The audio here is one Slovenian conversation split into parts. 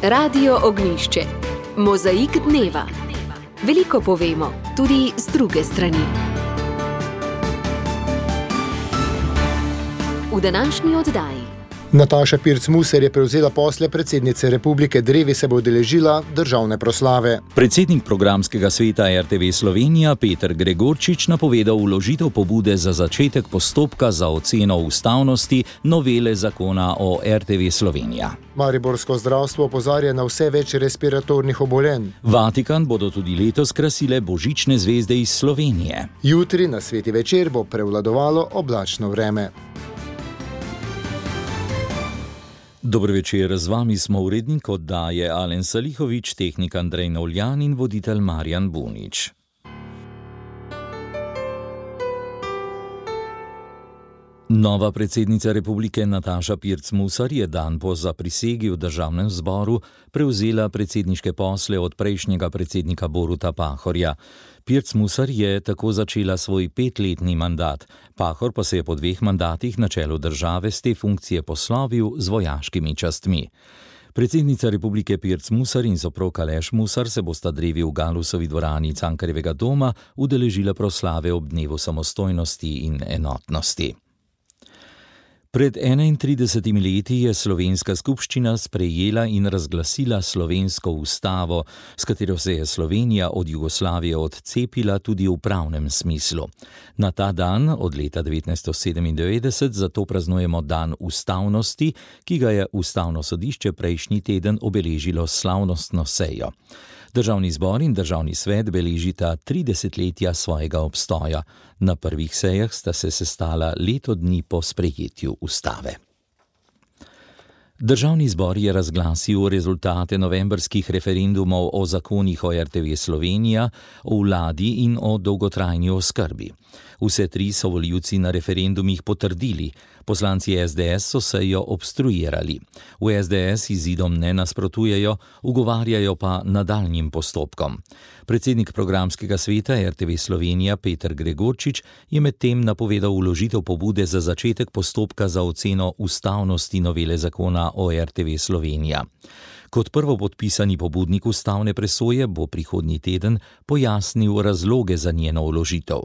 Radio Ognjišče. Mozaik dneva. Veliko povemo, tudi z druge strani. V današnji oddaji. Nataša Pirc-Musar je prevzela posle predsednice Republike, drevi se bo udeležila državne proslave. Predsednik programskega sveta RTV Slovenija Peter Gregorčič napovedal vložitev pobude za začetek postopka za oceno ustavnosti novele zakona o RTV Slovenija. Mariborsko zdravstvo opozarja na vse več respiratornih obolenj. Vatikan bodo tudi letos krasile božične zvezde iz Slovenije. Jutri na sveti večer bo prevladovalo oblačno vreme. Dobro večer, z vami smo urednik oddaje Alen Salihovič, tehnik Andrej Novljan in voditelj Marjan Bunič. Nova predsednica Republike Nataša Pirc-Musar je dan po zaprisegi v državnem zboru prevzela predsedniške posle od prejšnjega predsednika Boruta Pahorja. Pirc-Musar je tako začela svoj 5-letni mandat, Pahor pa se je po 2 mandatih na čelu države z te funkcije poslovil z vojaškimi častmi. Predsednica Republike Pirc-Musar in soprog Aleš Musar se bosta drevi v Galusovi dvorani Cankarjevega doma udeležila proslave ob dnevu samostojnosti in enotnosti. Pred 31 leti je slovenska skupščina sprejela in razglasila slovensko ustavo, s katero se je Slovenija od Jugoslavije odcepila tudi v pravnem smislu. Na ta dan, od leta 1997, zato praznujemo dan ustavnosti, ki ga je Ustavno sodišče prejšnji teden obeležilo s slavnostno sejo. Državni zbor in državni svet beležita 30-letja svojega obstoja. Na prvih sejah sta se sestala leto dni po sprejetju ustave. Državni zbor je razglasil rezultate novembrskih referendumov o zakonih o RTV Slovenija, o vladi in o dolgotrajni oskrbi. Vse 3 so volivci na referendumih potrdili, poslanci SDS so sejo obstruirali. V SDS izidom ne nasprotujejo, ugovarjajo pa nadaljnjim postopkom. Predsednik programskega sveta RTV Slovenija Peter Gregorčič je medtem napovedal vložitev pobude za začetek postopka za oceno ustavnosti novele zakona o RTV Slovenija. Kot prvopodpisani pobudnik ustavne presoje bo prihodnji teden pojasnil razloge za njeno vložitev.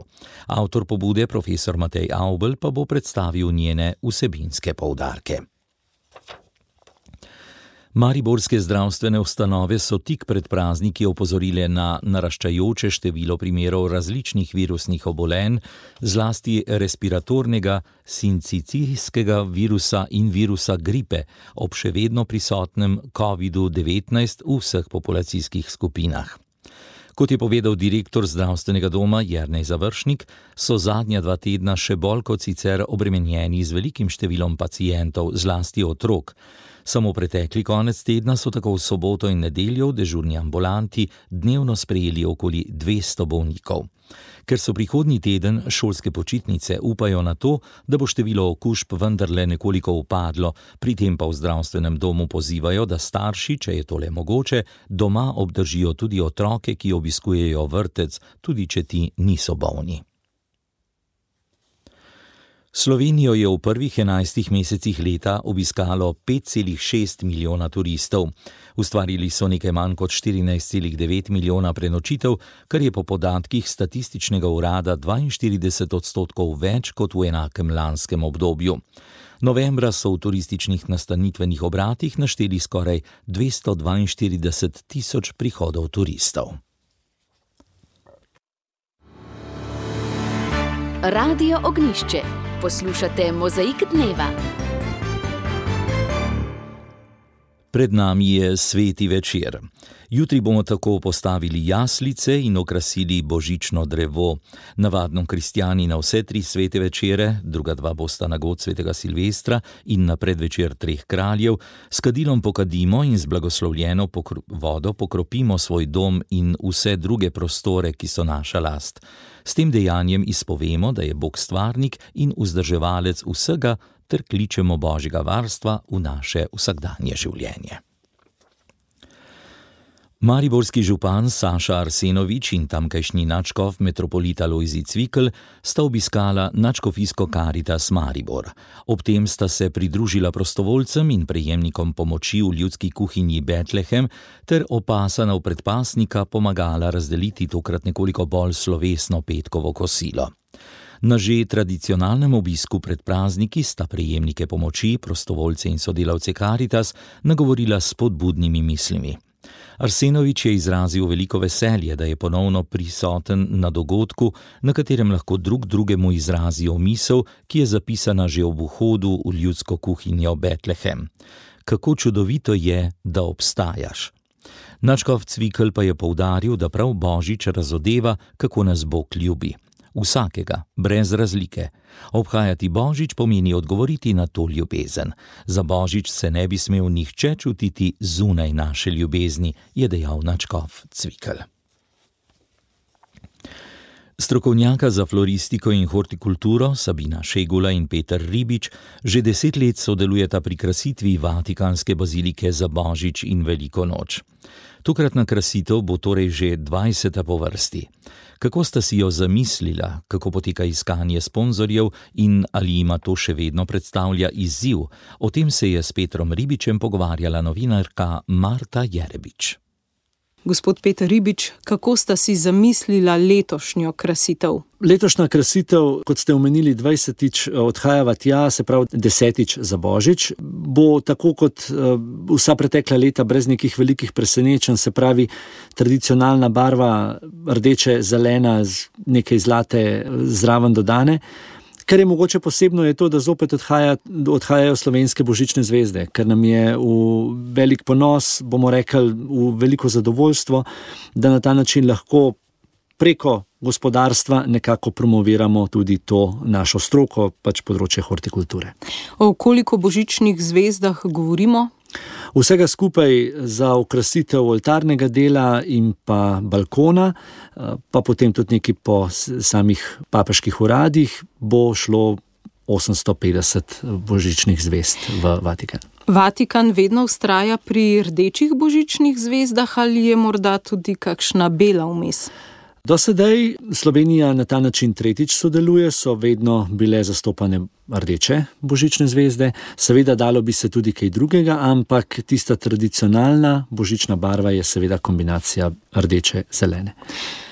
Avtor pobude, profesor Matej Avbelj, pa bo predstavil njene vsebinske poudarke. Mariborske zdravstvene ustanove so tik pred prazniki opozorile na naraščajoče število primerov različnih virusnih obolenj, zlasti respiratornega, sincicijskega virusa in virusa gripe, ob še vedno prisotnem COVID-19 v vseh populacijskih skupinah. Kot je povedal direktor zdravstvenega doma Jernej Završnik, so zadnja 2 tedna še bolj kot sicer obremenjeni z velikim številom pacientov, zlasti otrok. Samo pretekli konec tedna so tako v soboto in nedeljo v dežurni ambulanti dnevno sprejeli okoli 200 bolnikov. Ker so prihodnji teden šolske počitnice, upajo na to, da bo število okužb vendarle nekoliko upadlo, pri tem pa v zdravstvenem domu pozivajo, da starši, če je tole mogoče, doma obdržijo tudi otroke, ki obiskujejo vrtec, tudi če ti niso bolni. Slovenijo je v prvih 11 mesecih leta obiskalo 5,6 milijona turistov. Ustvarili so nekaj manj kot 14,9 milijona prenočitev, kar je po podatkih Statističnega urada 42% več kot v enakem lanskem obdobju. Novembra so v turističnih nastanitvenih obratih našteli skoraj 242 tisoč prihodov turistov. Radio Ognjišče. Poslušate Mozaik dneva. Pred nami je sveti večer. Jutri bomo tako postavili jaslice in okrasili božično drevo. Navadno kristjani na vse 3 svete večere, druga 2 bosta na god svetega Silvestra in na predvečer 3 kraljev, s kadilom pokadimo in z blagoslovljeno vodo pokropimo svoj dom in vse druge prostore, ki so naša last. S tem dejanjem izpovemo, da je Bog stvarnik in vzdrževalec vsega, ter kličemo Božjega varstva v naše vsakdanje življenje. Mariborski župan Saša Arsenovič in tamkajšnji nadškof metropolita Lojzi Cvikl sta obiskala nadškofijsko Karitas Maribor. Ob tem sta se pridružila prostovoljcem in prejemnikom pomoči v ljudski kuhinji Betlehem ter opasanov predpasnika pomagala razdeliti tokrat nekoliko bolj slovesno petkovo kosilo. Na že tradicionalnem obisku pred prazniki sta prejemnike pomoči, prostovoljce in sodelavce Karitas nagovorila s spodbudnimi mislimi. Arsenovič je izrazil veliko veselje, da je ponovno prisoten na dogodku, na katerem lahko drug drugemu izrazijo misel, ki je zapisana že ob vhodu v ljudsko kuhinjo Betlehem. Kako čudovito je, da obstajaš. Nadškof Cvikl pa je poudaril, da prav Božič razodeva, kako nas Bog ljubi. Vsakega, brez razlike. Obhajati Božič pomeni odgovoriti na to ljubezen. Za Božič se ne bi smel nihče čutiti zunaj naše ljubezni, je dejal nadškof Cvikl. Strokovnjaka za floristiko in hortikulturo Sabina Šegula in Peter Ribič že 10 let sodelujeta pri krasitvi Vatikanske bazilike za Božič in Veliko noč. Tokratna krasitev bo torej že 20. po vrsti. Kako sta si jo zamislila, kako poteka iskanje sponzorjev in ali ima to še vedno predstavlja izziv, o tem se je s Petrom Ribičem pogovarjala novinarka Marta Jerebič. Gospod Peter Ribič, kako sta si zamislila letošnjo krasitev? Letošnja krasitev, kot ste omenili, 20. odhajava tja, se pravi 10. za Božič, bo tako kot vsa pretekla leta brez nekih velikih presenečenj, se pravi tradicionalna barva rdeče, zelena, z nekaj zlate zraven dodane. Kar je mogoče posebno je to, da zopet odhajajo slovenske božične zvezde, ker nam je v velik ponos, bomo rekli, v veliko zadovoljstvo, da na ta način lahko preko gospodarstva nekako promoviramo tudi to našo stroko, pač področje hortikulture. O koliko božičnih zvezdah govorimo? Vsega skupaj za okrasitev oltarnega dela in pa balkona, pa potem tudi nekaj po samih papežkih uradih, bo šlo 850 božičnih zvezd v Vatikan. Vatikan vedno vztraja pri rdečih božičnih zvezdah ali je morda tudi kakšna bela vmes? Do sedaj Slovenija na ta način tretjič sodeluje, so vedno bile zastopane rdeče božične zvezde. Seveda dalo bi se tudi kaj drugega, ampak tista tradicionalna božična barva je seveda kombinacija rdeče-zelene.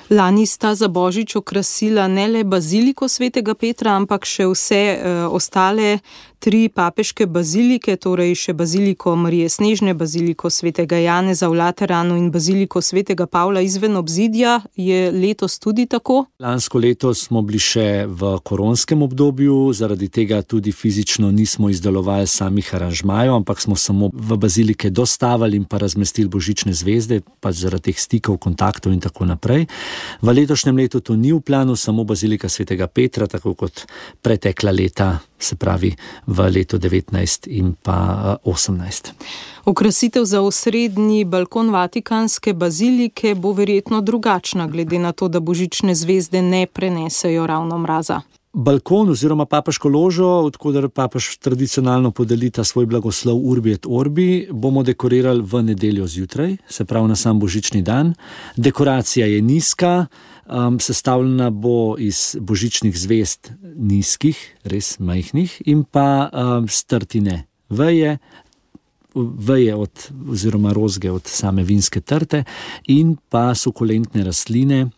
Lani sta za Božič okrasila ne le baziliko svetega Petra, ampak še vse ostale 3 papeške bazilike, torej še baziliko Marije Snežne, baziliko svetega Janeza v Lateranu in baziliko svetega Pavla izven obzidja. Je letos tudi tako? Lansko leto smo bili še v koronskem obdobju, zaradi tega tudi fizično nismo izdelovali samih aranžmajev, ampak smo samo v bazilike dostavili in pa razmestili božične zvezde, pač zaradi teh stikov, kontaktov in tako naprej. V letošnjem letu to ni v planu, samo bazilika svetega Petra, tako kot pretekla leta, se pravi v letu 19 in pa 18. Okrasitev za osrednji balkon Vatikanske bazilike bo verjetno drugačna, glede na to, da božične zvezde ne prenesejo ravno mraza. Balkon oziroma papežko ložo, odkoder papež tradicionalno podeli ta svoj blagoslov Urbi et Orbi, bomo dekorirali v nedeljo zjutraj, se pravi na sam božični dan. Dekoracija je nizka, sestavljena bo iz božičnih zvezd nizkih, res majhnih, in pa strtine veje oziroma rozge od same vinske trte in pa sukulentne rastline,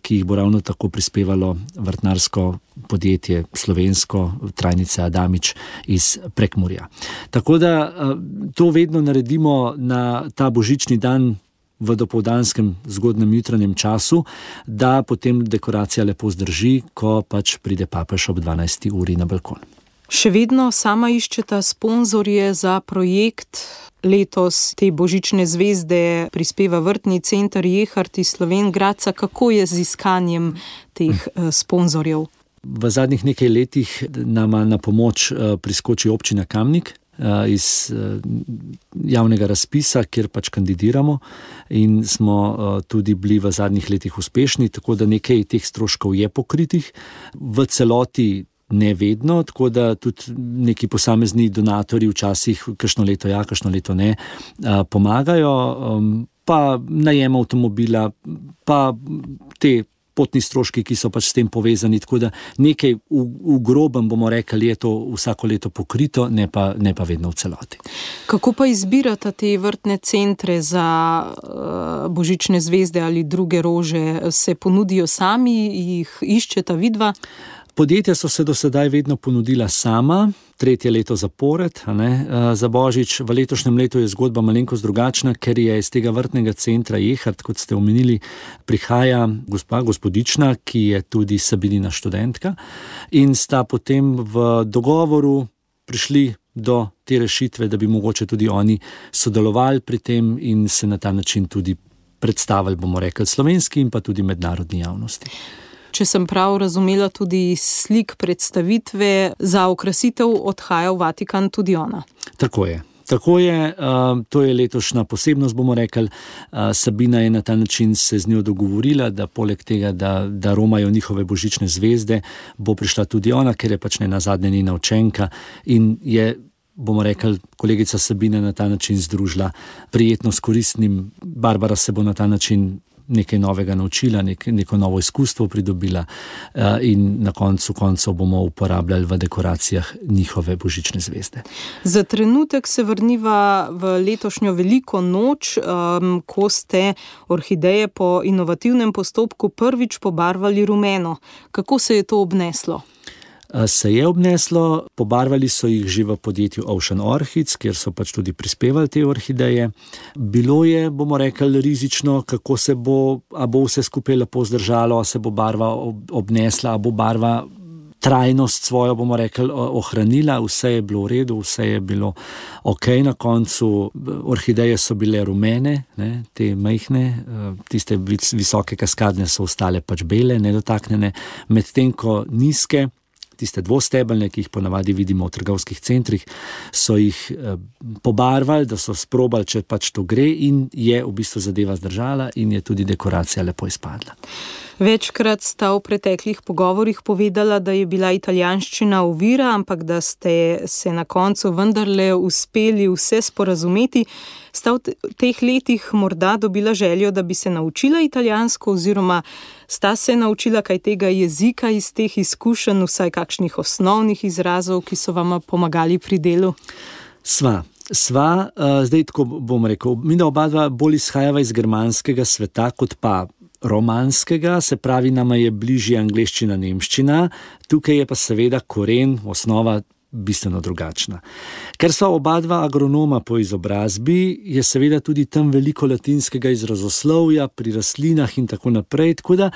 ki jih bo ravno tako prispevalo vrtnarsko podjetje slovensko, Trajnica Adamič iz Prekmurja. Tako da to vedno naredimo na ta božični dan v dopoldanskem zgodnem jutranjem času, da potem dekoracija lepo zdrži, ko pač pride papež ob 12. uri na balkon. Še vedno sama iščeta sponzorje za projekt. Letos te božične zvezde prispeva Vrtni center Jehart iz Slovenj Gradca. Kako je z iskanjem teh sponzorjev? V zadnjih nekaj letih nama na pomoč priskoči občina Kamnik iz javnega razpisa, kjer pač kandidiramo in smo tudi bili v zadnjih letih uspešni, tako da nekaj teh stroškov je pokritih. V celoti ne vedno, tako da tudi neki posamezni donatorji včasih, kakšno leto ja, kakšno leto ne, pomagajo. pa najem avtomobila, pa te potni stroški, ki so pač s tem povezani, tako da nekaj v grobem bomo rekli, je to vsako leto pokrito, ne pa vedno v celoti. Kako pa izbirate te vrtne centre za božične zvezde ali druge rože? Se ponudijo sami, jih iščeta vidva? Podjetja so se do sedaj vedno ponudila sama, 3. leto zapored, za božič. V letošnjem letu je zgodba malenkost drugačna, ker je iz tega vrtnega centra Jehart, kot ste omenili, prihaja gospodična, ki je tudi Sabinina študentka, in sta potem v dogovoru prišli do te rešitve, da bi mogoče tudi oni sodelovali pri tem in se na ta način tudi predstavili, bomo rekli, slovenski in pa tudi mednarodni javnosti. Če sem prav razumela, tudi slik predstavitve za okrasitev odhaja v Vatikan tudi ona. Tako je. To je letošnja posebnost, bomo rekli. Sabina je na ta način se z njo dogovorila, da poleg tega, da romajo njihove božične zvezde, bo prišla tudi ona, ker je pač nenazadnje njena učenka in je, bomo rekli, kolegica Sabina na ta način združila prijetno s koristnim. Barbara se bo na ta način nekaj novega naučila, neko novo izkustvo pridobila in na koncu koncev bomo uporabljali v dekoracijah njihove božične zvezde. Za trenutek se vrniva v letošnjo veliko noč, ko ste orhideje po inovativnem postopku prvič pobarvali rumeno. Kako se je to obneslo? Se je obneslo, pobarvali so jih že v podjetju Ocean Orchids, kjer so pač tudi prispevali te orhideje. Bilo je, bomo rekli, rizično, kako se bo, a bo vse skupaj lepo zdržalo, a se bo barva obnesla, a bo barva trajnost svojo, bomo rekli, ohranila. Vse je bilo v redu, vse je bilo ok. Na koncu orhideje so bile rumene, te majhne, tiste visoke kaskadne so ostale pač bele, nedotaknjene, medtem ko nizke, tiste dvostebelne, ki jih ponavadi vidimo v trgovskih centrih, so jih pobarvali, da so sprobali, če pač to gre, in je v bistvu zadeva zdržala in je tudi dekoracija lepo izpadla. Večkrat sta v preteklih pogovorih povedala, da je bila italijanščina ovira, ampak da ste se na koncu vendarle uspeli vse sporazumeti. Sta v teh letih morda dobila željo, da bi se naučila italijansko, oziroma sta se naučila kaj tega jezika iz teh izkušenj, vsaj kakšnih osnovnih izrazov, ki so vama pomagali pri delu? Sva, zdaj tako bom rekel, mi da oba dva bolj izhajava iz germanskega sveta, kot pa romanskega, se pravi, nama je bližje angleščina, nemščina, tukaj je pa seveda koren, osnova bistveno drugačna. Ker so oba dva agronoma po izobrazbi, je seveda tudi tam veliko latinskega izrazoslovja pri rastlinah in tako naprej, tako da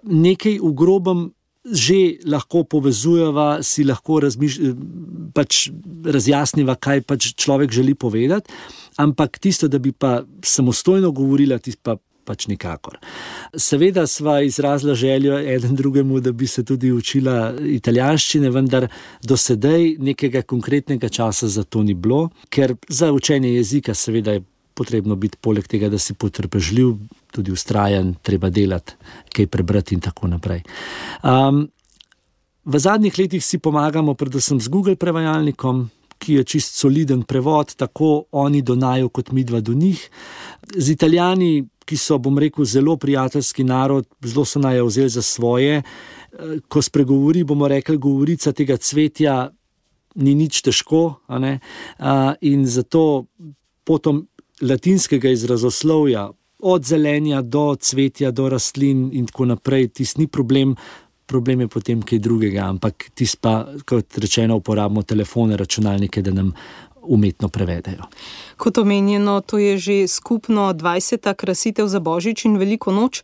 nekaj v grobem že lahko povezujeva, si lahko pač razjasniva, kaj pač človek želi povedati, ampak tisto, da bi pa samostojno govorila, tisto pač nikakor. Seveda sva izrazila željo eden drugemu, da bi se tudi učila italijanščine, vendar do sedaj nekega konkretnega časa za to ni bilo, ker za učenje jezika seveda je potrebno biti poleg tega, da si potrpežljiv, tudi vztrajen, treba delati, kaj prebrati in tako naprej. V zadnjih letih si pomagamo predvsem z Google prevajalnikom, ki je čist soliden prevod, tako oni do naju kot midva do njih. Z Italijani, ki so, bom rekel, zelo prijateljski narod, zelo so naju vzeli za svoje. Ko spregovori, bomo rekli, govorica tega cvetja ni nič težko, in zato potom latinskega izrazoslovja, od zelenja do cvetja, do rastlin in tako naprej, tis ni problem. Problem je potem kaj drugega, ampak tis pa, kot rečeno, uporabimo telefone, računalnike, da nam umetno prevedejo. Kot omenjeno, to je že skupno 20. krasitev za Božič in Veliko noč.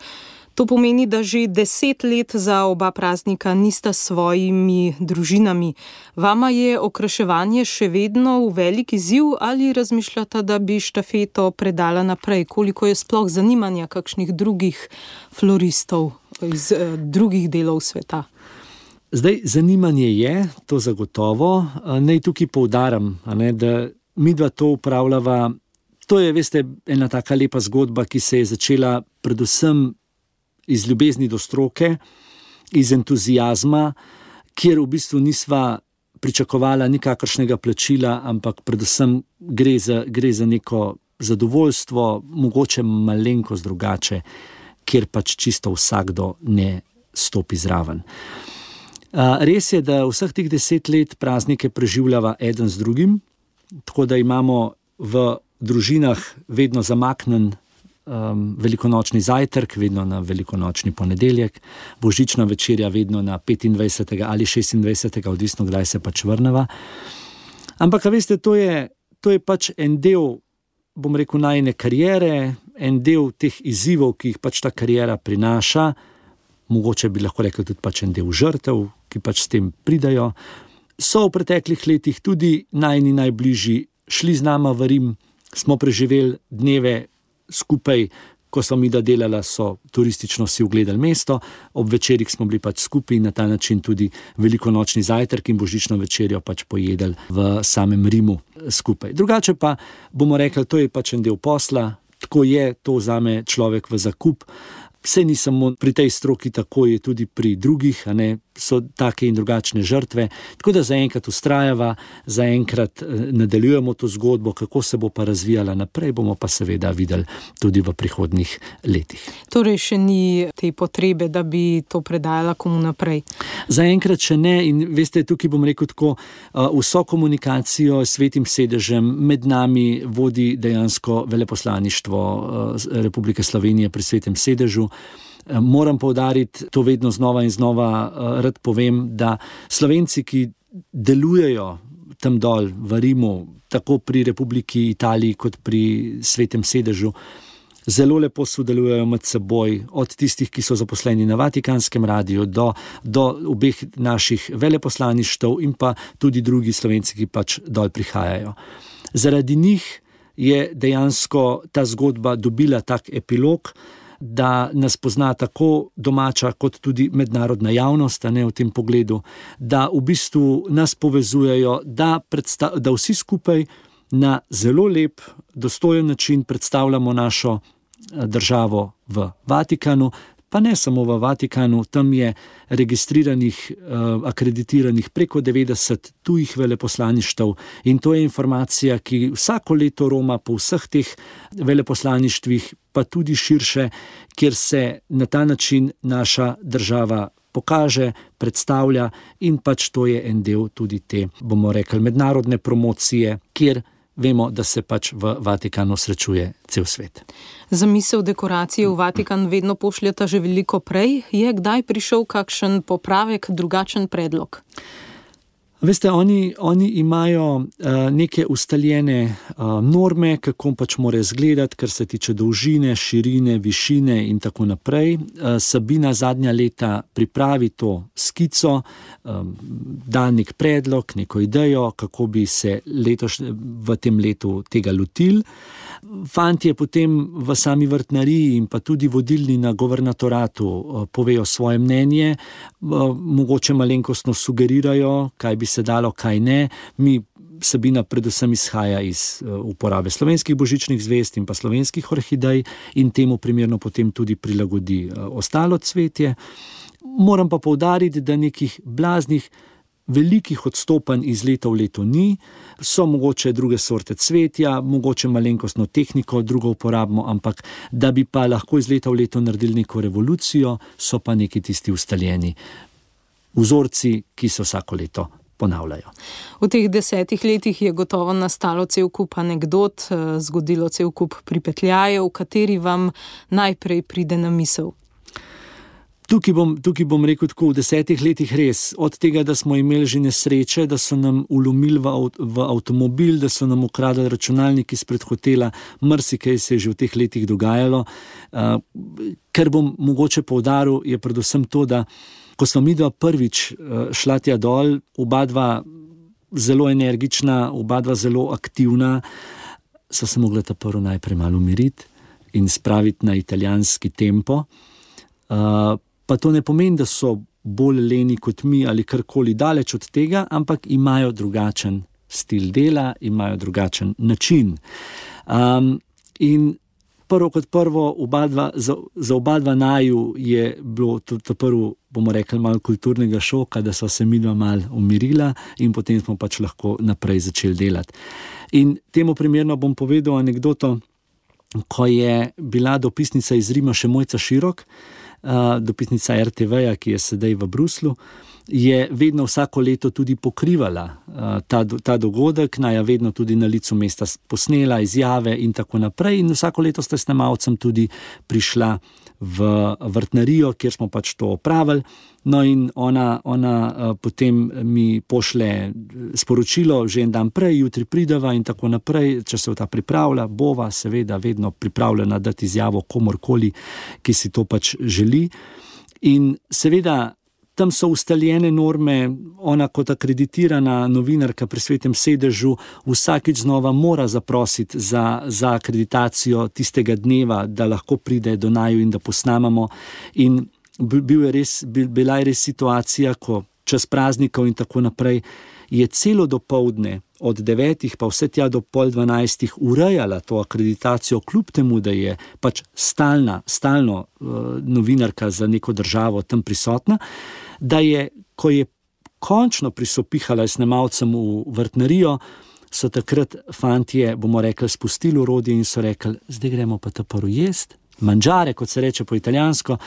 To pomeni, da že 10 let za oba praznika nista s svojimi družinami. Vama je okraševanje še vedno v velik izziv ali razmišljata, da bi štafeto predala naprej? Koliko je sploh zanimanja kakšnih drugih floristov iz drugih delov sveta? Zdaj, zanimanje je, to zagotovo. Naj tukaj poudarim, da midva to upravljava. To je, veste, ena taka lepa zgodba, ki se je začela predvsem iz ljubezni do stroke, iz entuzijazma, kjer v bistvu nisva pričakovala nikakršnega plačila, ampak predvsem gre za neko zadovoljstvo, mogoče malenkost drugače, kjer pač čisto vsakdo ne stopi zraven. Res je, da vseh teh 10 let praznike preživljava eden z drugim, tako da imamo v družinah vedno zamaknen velikonočni zajtrk, vedno na velikonočni ponedeljek, božična večerja vedno na 25. ali 26. odvisno, kdaj se pač vrneva. Ampak, veste, to je pač en del, bom rekel, najine kariere, en del teh izzivov, ki jih pač ta kariera prinaša, mogoče bi lahko rekli tudi pač en del žrtev, ki pač s tem pridajo. So v preteklih letih tudi najini najbližji šli z nama v Rim, smo preživeli dneve skupaj, ko smo mi da delala, so turistično si ogledali mesto, ob večerih smo bili pač skupaj in na ta način tudi velikonočni zajtrk in božično večerjo pač pojedali v samem Rimu skupaj. Drugače pa bomo rekli, to je pač en del posla, tako je, to vzame človek v zakup. Vse ni samo pri tej stroki, tako je tudi pri drugih, so take in drugačne žrtve. Tako da zaenkrat vztrajava, zaenkrat nadaljujemo to zgodbo, kako se bo pa razvijala naprej, bomo pa seveda videli tudi v prihodnjih letih. Torej še ni te potrebe, da bi to predajala komu naprej? Zaenkrat še ne in veste, tukaj bom rekel tako, vso komunikacijo s Svetim sedežem med nami vodi dejansko veleposlaništvo Republike Slovenije pri Svetem sedežu. Moram poudariti, to vedno znova in znova rad povem, da Slovenci, ki delujejo tam dol v Rimu, tako pri Republiki Italiji kot pri Svetem sedežu, zelo lepo sodelujejo med seboj, od tistih, ki so zaposleni na Vatikanskem radiju, do obeh naših veleposlaništev in pa tudi drugi Slovenci, ki pač dol prihajajo. Zaradi njih je dejansko ta zgodba dobila tak epilog, da nas pozna tako domača kot tudi mednarodna javnost, v tem pogledu, da v bistvu nas povezujejo, da vsi skupaj na zelo lep, dostojen način predstavljamo našo državo v Vatikanu, pa ne samo v Vatikanu, tam je registriranih, akreditiranih preko 90 tujih veleposlaništev in to je informacija, ki vsako leto roma po vseh teh veleposlaništvih, pa tudi širše, kjer se na ta način naša država pokaže, predstavlja in pač to je en del tudi te, bomo rekli, mednarodne promocije, kjer vemo, da se pač v Vatikanu srečuje cel svet. Zamisel dekoracije v Vatikan vedno pošljeta že veliko prej. Je kdaj prišel kakšen popravek, drugačen predlog? Veste, oni imajo neke ustaljene norme, kako pač mora izgledati, kar se tiče dolžine, širine, višine in tako naprej. Sabina zadnja leta pripravi to skico, da nek predlog, neko idejo, kako bi se v tem letu tega lotili. Fantje potem v sami vrtnariji in pa tudi vodilni na guvernatoratu povejo svoje mnenje, mogoče malenkostno sugerirajo, kaj bi se dalo, kaj ne. Sabina predvsem izhaja iz uporabe slovenskih božičnih zvezd in pa slovenskih orhidej in temu primerno potem tudi prilagodi ostalo cvetje. Moram pa poudariti, da nekih blaznih velikih odstopanj iz leta v leto ni, so mogoče druge sorte cvetja, mogoče malenkostno tehniko drugo uporabimo, ampak da bi pa lahko iz leta v leto naredili neko revolucijo, so pa neki tisti ustaljeni vzorci, ki se vsako leto ponavljajo. V teh 10 letih je gotovo nastalo cel kup anekdot, zgodilo cel kup pripetljajev, kateri vam najprej pride na misel? Tukaj bom rekel tako, v 10 letih res, od tega, da smo imeli že nesreče, da so nam vlomili v avtomobil, da so nam ukradli računalnik izpred hotela, marsikaj se je že v teh letih dogajalo. Kar bom mogoče poudaril, je predvsem to, da ko smo midva prvič šla tja dol, oba dva zelo energična, oba dva zelo aktivna, so se mogla ta prvo najprej malo umiriti in spraviti na italijanski tempo. Pa to ne pomeni, da so bolj leni kot mi ali karkoli daleč od tega, ampak imajo drugačen stil dela, imajo drugačen način. In Prvo kot prvo, za oba dva naju je bilo to prvo, bomo rekli, malo kulturnega šoka, da so se midva malo umirila in potem smo pač lahko naprej začeli delati. In temu primerno bom povedal anekdoto, ko je bila dopisnica iz Rima še Mojca Širok, dopisnica RTV-ja, ki je sedaj v Bruslu, je vedno vsako leto tudi pokrivala ta dogodek, naja vedno tudi na licu mesta posnela izjave in tako naprej. In vsako leto sta snemalcem tudi prišla v vrtnarijo, kjer smo pač to opravili. No in ona potem mi pošle sporočilo že en dan prej, jutri prideva in tako naprej, če se ta pripravlja, bova seveda vedno pripravljena dati izjavo komorkoli, ki si to pač želi. In seveda tam so ustaljene norme, ona kot akreditirana novinarka pri Svetem sedežu vsakič znova mora zaprositi za akreditacijo tistega dneva, da lahko pride do naju in da posnamamo. In bila je res situacija, ko čez praznikov in tako naprej je celo dopoldne od 9 pa vse tja do 11:30 urejala to akreditacijo, kljub temu, da je pač stalno novinarka za neko državo tam prisotna, da je, ko je končno prisopihala snemalcem v vrtnarijo, so takrat fantje, bomo rekli, spustili orodje in so rekli, zdaj gremo pa ta prvo jest, mangiare, kot se reče po italijansko,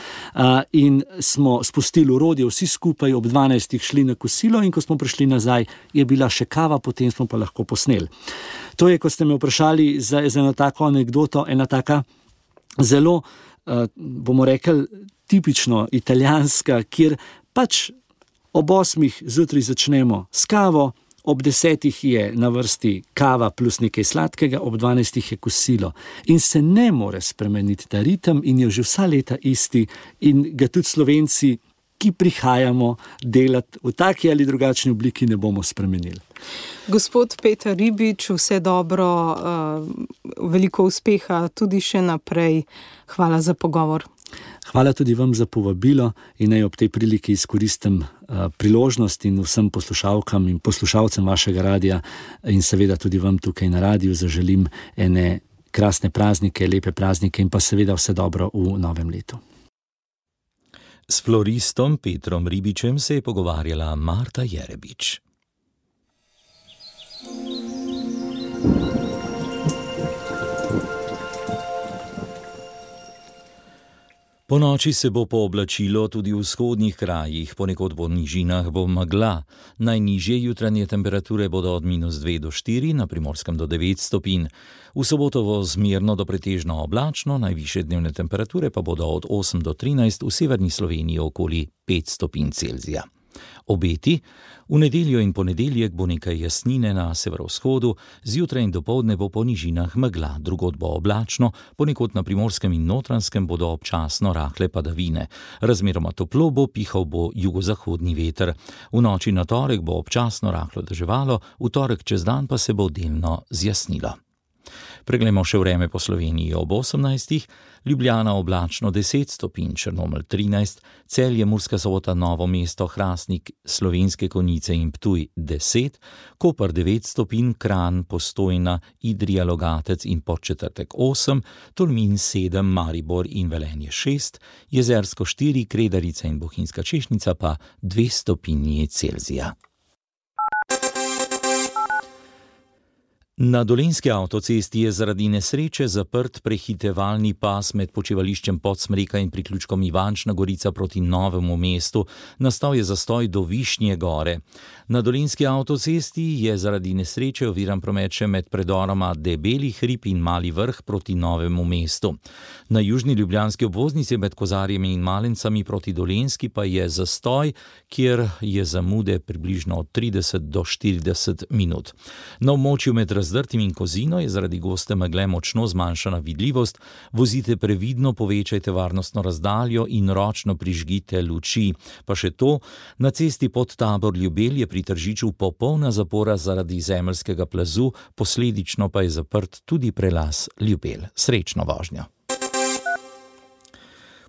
in smo spustili orodje vsi skupaj, ob 12 šli na kosilo in ko smo prišli nazaj, je bila še kava, potem smo pa lahko posneli. To je, ko ste me vprašali za eno tako anekdoto, ena taka zelo, bomo rekli, tipično italijanska, kjer pač ob 8 zjutraj začnemo s kavo, ob 10 je na vrsti kava plus nekaj sladkega, ob 12 je kosilo. In se ne more spremeniti ta ritem in je že vsa leta isti in ga tudi Slovenci, ki prihajamo delati v taki ali drugačni obliki, ne bomo spremenili. Gospod Peter Ribič, vse dobro, veliko uspeha tudi še naprej. Hvala za pogovor. Hvala tudi vam za povabilo in naj ob tej priliki izkoristim priložnost in vsem poslušalkam in poslušalcem vašega radia in seveda tudi vam tukaj na radiju zaželim ene krasne praznike, lepe praznike in pa seveda vse dobro v novem letu. S floristom Petrom Ribičem se je pogovarjala Marta Jerebič. Po noči se bo pooblačilo tudi v vzhodnih krajih, ponekod po nižinah bo megla. Najnižje jutranje temperature bodo od -2 do 4, na Primorskem do 9 stopinj. V soboto bo zmerno do pretežno oblačno, najvišje dnevne temperature pa bodo od 8 do 13, v severni Sloveniji okoli 5 stopinj Celzija. Obeti: v nedeljo in ponedeljek bo nekaj jasnine na severovzhodu, zjutraj in dopoldne bo po nižinah megla, drugod bo oblačno, ponekod na Primorskem in Notranjskem bodo občasno rahle padavine. Razmeroma toplo bo, pihal bo jugozahodni veter. V noči na torek bo občasno rahlo deževalo, v torek čez dan pa se bo delno zjasnilo. Preglejmo še vreme po Sloveniji ob 18. Ljubljana oblačno 10 stopinj, Črnomelj 13, Celje, Murska Sobota, Novo mesto, Hrastnik, Slovenske Konjice in Ptuj 10, Koper 9 stopinj, Kranj, Postojna, Idrija, Logatec in Podčetrtek 8, Tolmin 7, Maribor in Velenje 6, Jezersko 4, Kredarica in Bohinjska Češnica pa 2 stopinji Celzija. Na Dolenjski avtocesti je zaradi nesreče zaprt prehitevalni pas med počivališčem Podsmreka in priključkom Ivančna Gorica proti Novemu mestu. Nastal je zastoj do Višnje gore. Na Dolenjski avtocesti je zaradi nesreče oviran promet še med predoroma Debeli hrib in Mali vrh proti Novemu mestu. Na južni ljubljanski obvoznici med Kozarjemi in Malencami proti Dolenjski pa je zastoj, kjer je zamude približno od 30 do 40 minut. Na območju med Zdrtim in Kozino je zaradi goste megle močno zmanjšana vidljivost. Vozite previdno, povečajte varnostno razdaljo in ročno prižgite luči. Pa še to, na cesti pod Tabor-Ljubelj je pri Tržiču popolna zapora zaradi zemeljskega plazu, posledično pa je zaprt tudi prelaz Ljubelj. Srečno vožnjo.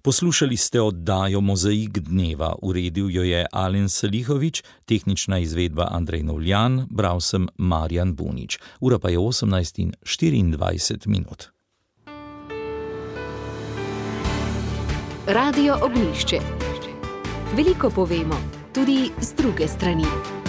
Poslušali ste oddajo Mozaik dneva, uredil jo je Alen Salihovič, tehnična izvedba Andrej Novljan, bral sem Marjan Bunič. Ura pa je 18:24. Radio Ognjišče. Veliko povemo, tudi z druge strani.